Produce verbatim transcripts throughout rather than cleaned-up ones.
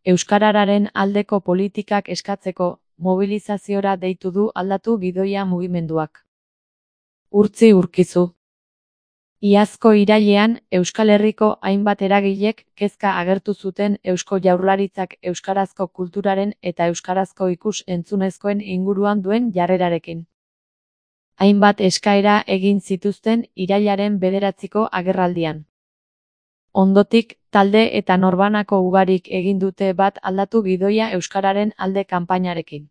Euskararen aldeko politikak eskatzeko mobilizaziora deitu du Aldatu Gidoia mugimenduak. Urtzi Urkizu. Iazko irailean, Euskal Herriko hainbat eragilek kezka agertu zuten Eusko Jaurlaritzak euskarazko kulturaren eta euskarazko ikus-entzunezkoen inguruan duen jarrerarekin. Hainbat eskaera egin zituzten irailaren bederatziko agerraldian. Ondotik, talde eta norbanako ugarik egin dute bat Aldatu Gidoia euskararen alde kanpainarekin.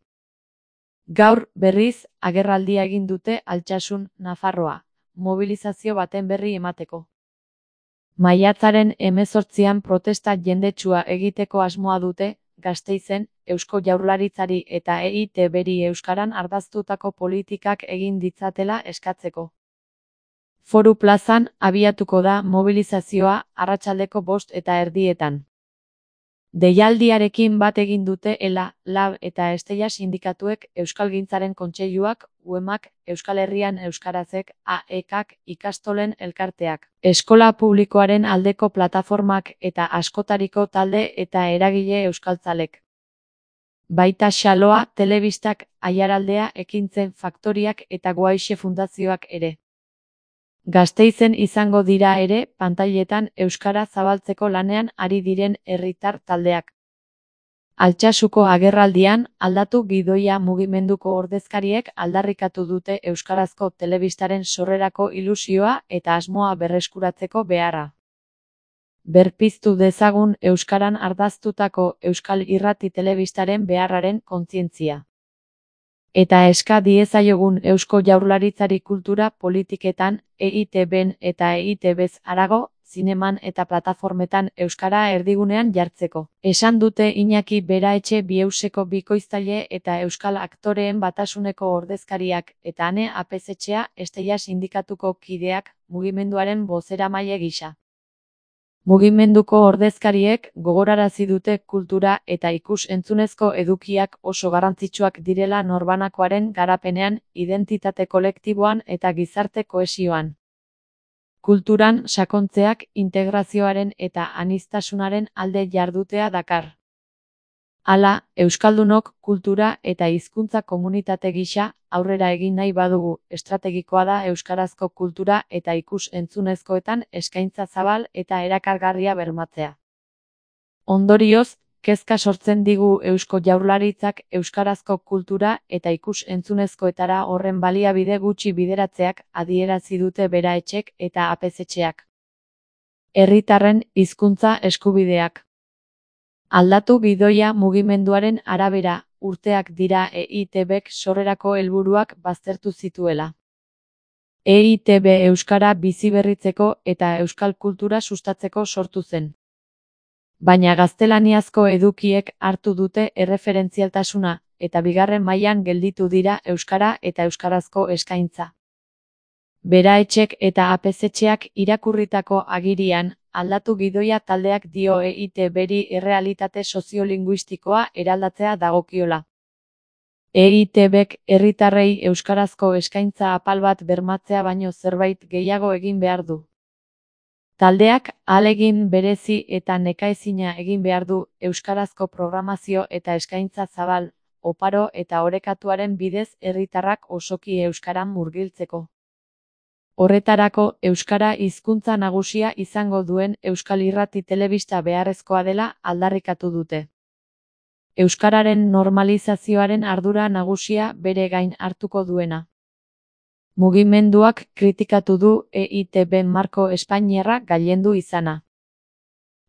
Gaur, berriz, agerraldia egin dute Altsasun, Nafarroa, mobilizazio baten berri emateko. Maiatzaren hemezortzian protesta jendetsua egiteko asmoa dute, Gasteizen, Eusko Jaurlaritzari eta E I Te Beri euskaran ardaztutako politikak egin ditzatela eskatzeko. Foru plazan abiatuko da mobilizazioa arratsaldeko bost eta erdietan. Deialdiarekin bat egin dute ELA, LAB eta Estella sindikatuek, Euskalgintzaren Kontseiluak, UEMak, Euskal Herrian Euskarazek, A E Kak, ikastolen elkarteak, eskola publikoaren aldeko plataformak eta askotariko talde eta eragile euskaltzalek. Baita Xaloa, Telebistak, Aiaraldea, Ekintzen Faktoriak eta Guaixe Fundazioak ere. Gasteizen izango dira ere, pantailetan euskara zabaltzeko lanean ari diren herritar taldeak. Altsasuko agerraldian, Aldatu Gidoia mugimenduko ordezkariek aldarrikatu dute euskarazko telebistaren sorrerako ilusioa eta asmoa berreskuratzeko beharra. Berpiztu dezagun euskaran ardaztutako euskal irrati telebistaren beharraren kontzientzia. Eta eska diezaiogun Eusko Jaurlaritzari kultura politiketan, E I Te Ben eta E I Te Bez harago, zineman eta plataformetan euskara erdigunean jartzeko. Esan dute Iñaki Beraetxe Bieuseko bikoiztaile eta euskal aktoreen batasuneko ordezkariak eta Ane Apezetxea Estella sindikatuko kideak mugimenduaren bozeramaile gisa. Mugimenduko ordezkariek gogorarazi dute kultura eta ikus-entzunezko edukiak oso garrantzitsuak direla norbanakoaren garapenean, identitate kolektiboan eta gizarte kohesioan. Kulturan sakontzeak integrazioaren eta aniztasunaren alde jardutea dakar. Hala, euskaldunok kultura eta hizkuntza komunitate gisa aurrera egin nahi badugu, estrategikoa da euskarazko kultura eta ikus-entzunezkoetan eskaintza zabal eta erakargarria bermatzea. Ondorioz, kezka sortzen digu Eusko Jaurlaritzak euskarazko kultura eta ikus-entzunezkoetara horren baliabide gutxi bideratzeak adierazi dute Beraetxek eta Apezetxeak. Herritarren hizkuntza eskubideak. Aldatu Gidoia mugimenduaren arabera, urteak dira E I Te Bek sorrerako helburuak baztertu zituela. E I Te Be euskara biziberritzeko eta euskal kultura sustatzeko sortu zen. Baina gaztelaniazko edukiek hartu dute erreferentzialtasuna, eta bigarren mailan gelditu dira euskara eta euskarazko eskaintza. Beraetxek eta Apezetxeak irakurritako agirian, Aldatu Gidoia taldeak dio E I Te Beri errealitate soziolinguistikoa eraldatzea dagokiola. E I Te Bek herritarrei euskarazko eskaintza apal bat bermatzea baino zerbait gehiago egin behar du. Taldeak ahalegin berezi eta nekaezina egin behar du euskarazko programazio eta eskaintza zabal, oparo eta orekatuaren bidez herritarrak osoki euskaran murgiltzeko. Horretarako, euskara hizkuntza nagusia izango duen euskal irrati telebista beharrezkoa dela aldarrikatu dute. Euskararen normalizazioaren ardura nagusia bere gain hartuko duena. Mugimenduak kritikatu du E I Te Ben marko espainiarra gailendu izana.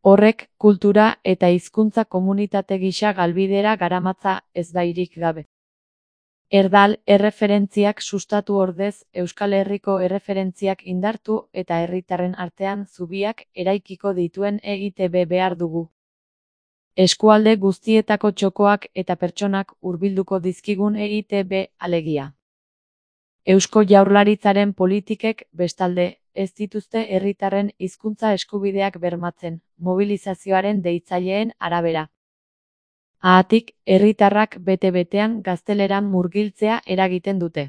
Horrek, kultura eta hizkuntza komunitate gisa galbidera garamatza ezbairik gabe. Erdal erreferentziak sustatu ordez, Euskal Herriko erreferentziak indartu eta herritarren artean zubiak eraikiko dituen E I Te Be behar dugu. Eskualde guztietako txokoak eta pertsonak hurbilduko dizkigun E I Te Be alegia. Eusko Jaurlaritzaren politikek, bestalde, ez dituzte herritarren hizkuntza eskubideak bermatzen, mobilizazioaren deitzaileen arabera. Haatik, herritarrak bete-betean gazteleran murgiltzea eragiten dute.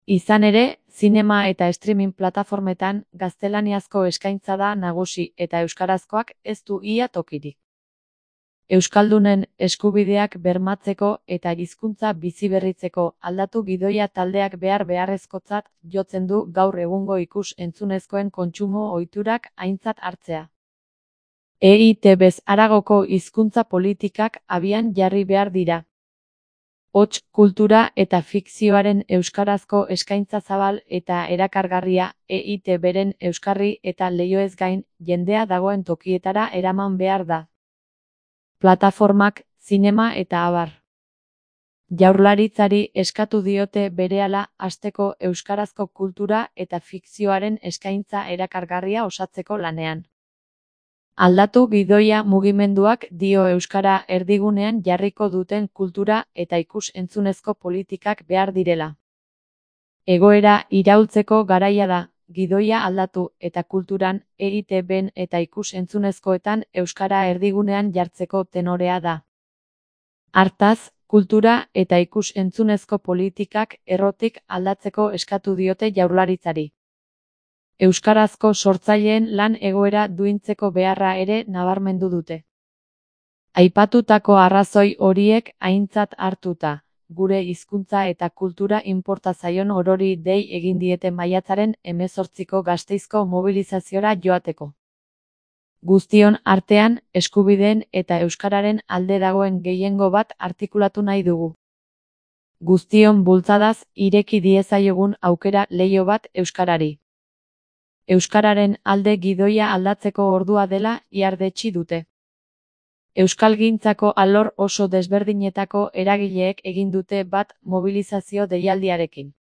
Izan ere, zinema eta streaming plataformetan gaztelaniazko eskaintza da nagusi eta euskarazkoak ez du ia tokirik. Euskaldunen eskubideak bermatzeko eta hizkuntza biziberritzeko aldatu gidoia taldeak behar beharrezkotzat jotzen du gaur egungo ikus-entzunezkoen kontsumo ohiturak aintzat hartzea. E I Te Bez haragoko hizkuntza politikak abian jarri behar dira. Hots, kultura eta fikzioaren euskarazko eskaintza zabal eta erakargarria E I Te Beren euskarri eta leihoez gain jendea dagoen tokietara eraman behar da. Plataformak, zinema eta abar. Jaurlaritzari eskatu diote berehala hasteko euskarazko kultura eta fikzioaren eskaintza erakargarria osatzeko lanean. Aldatu gidoia mugimenduak dio euskara erdigunean jarriko duten kultura eta ikus-entzunezko politikak behar direla. Egoera iraultzeko garaia da, gidoia aldatu eta kulturan, E I Te Ben eta ikus-entzunezkoetan euskara erdigunean jartzeko tenorea da. Hartaz, kultura eta ikus-entzunezko politikak errotik aldatzeko eskatu diote Jaurlaritzari. Euskarazko sortzaileen lan egoera duintzeko beharra ere nabarmendu dute. Aipatutako arrazoi horiek aintzat hartuta, gure hizkuntza eta kultura inporta zaion orori dei egin diete maiatzaren hemezortziko Gasteizko mobilizaziora joateko. Guztion artean, eskubideen eta euskararen alde dagoen gehiengo bat artikulatu nahi dugu. Guztion bultzadaz ireki diezaiogun aukera leiho bat euskarari. Euskararen alde gidoia aldatzeko ordua dela ihardetsi dute. Euskalgintzako alor oso desberdinetako eragileek egin dute bat mobilizazio deialdiarekin.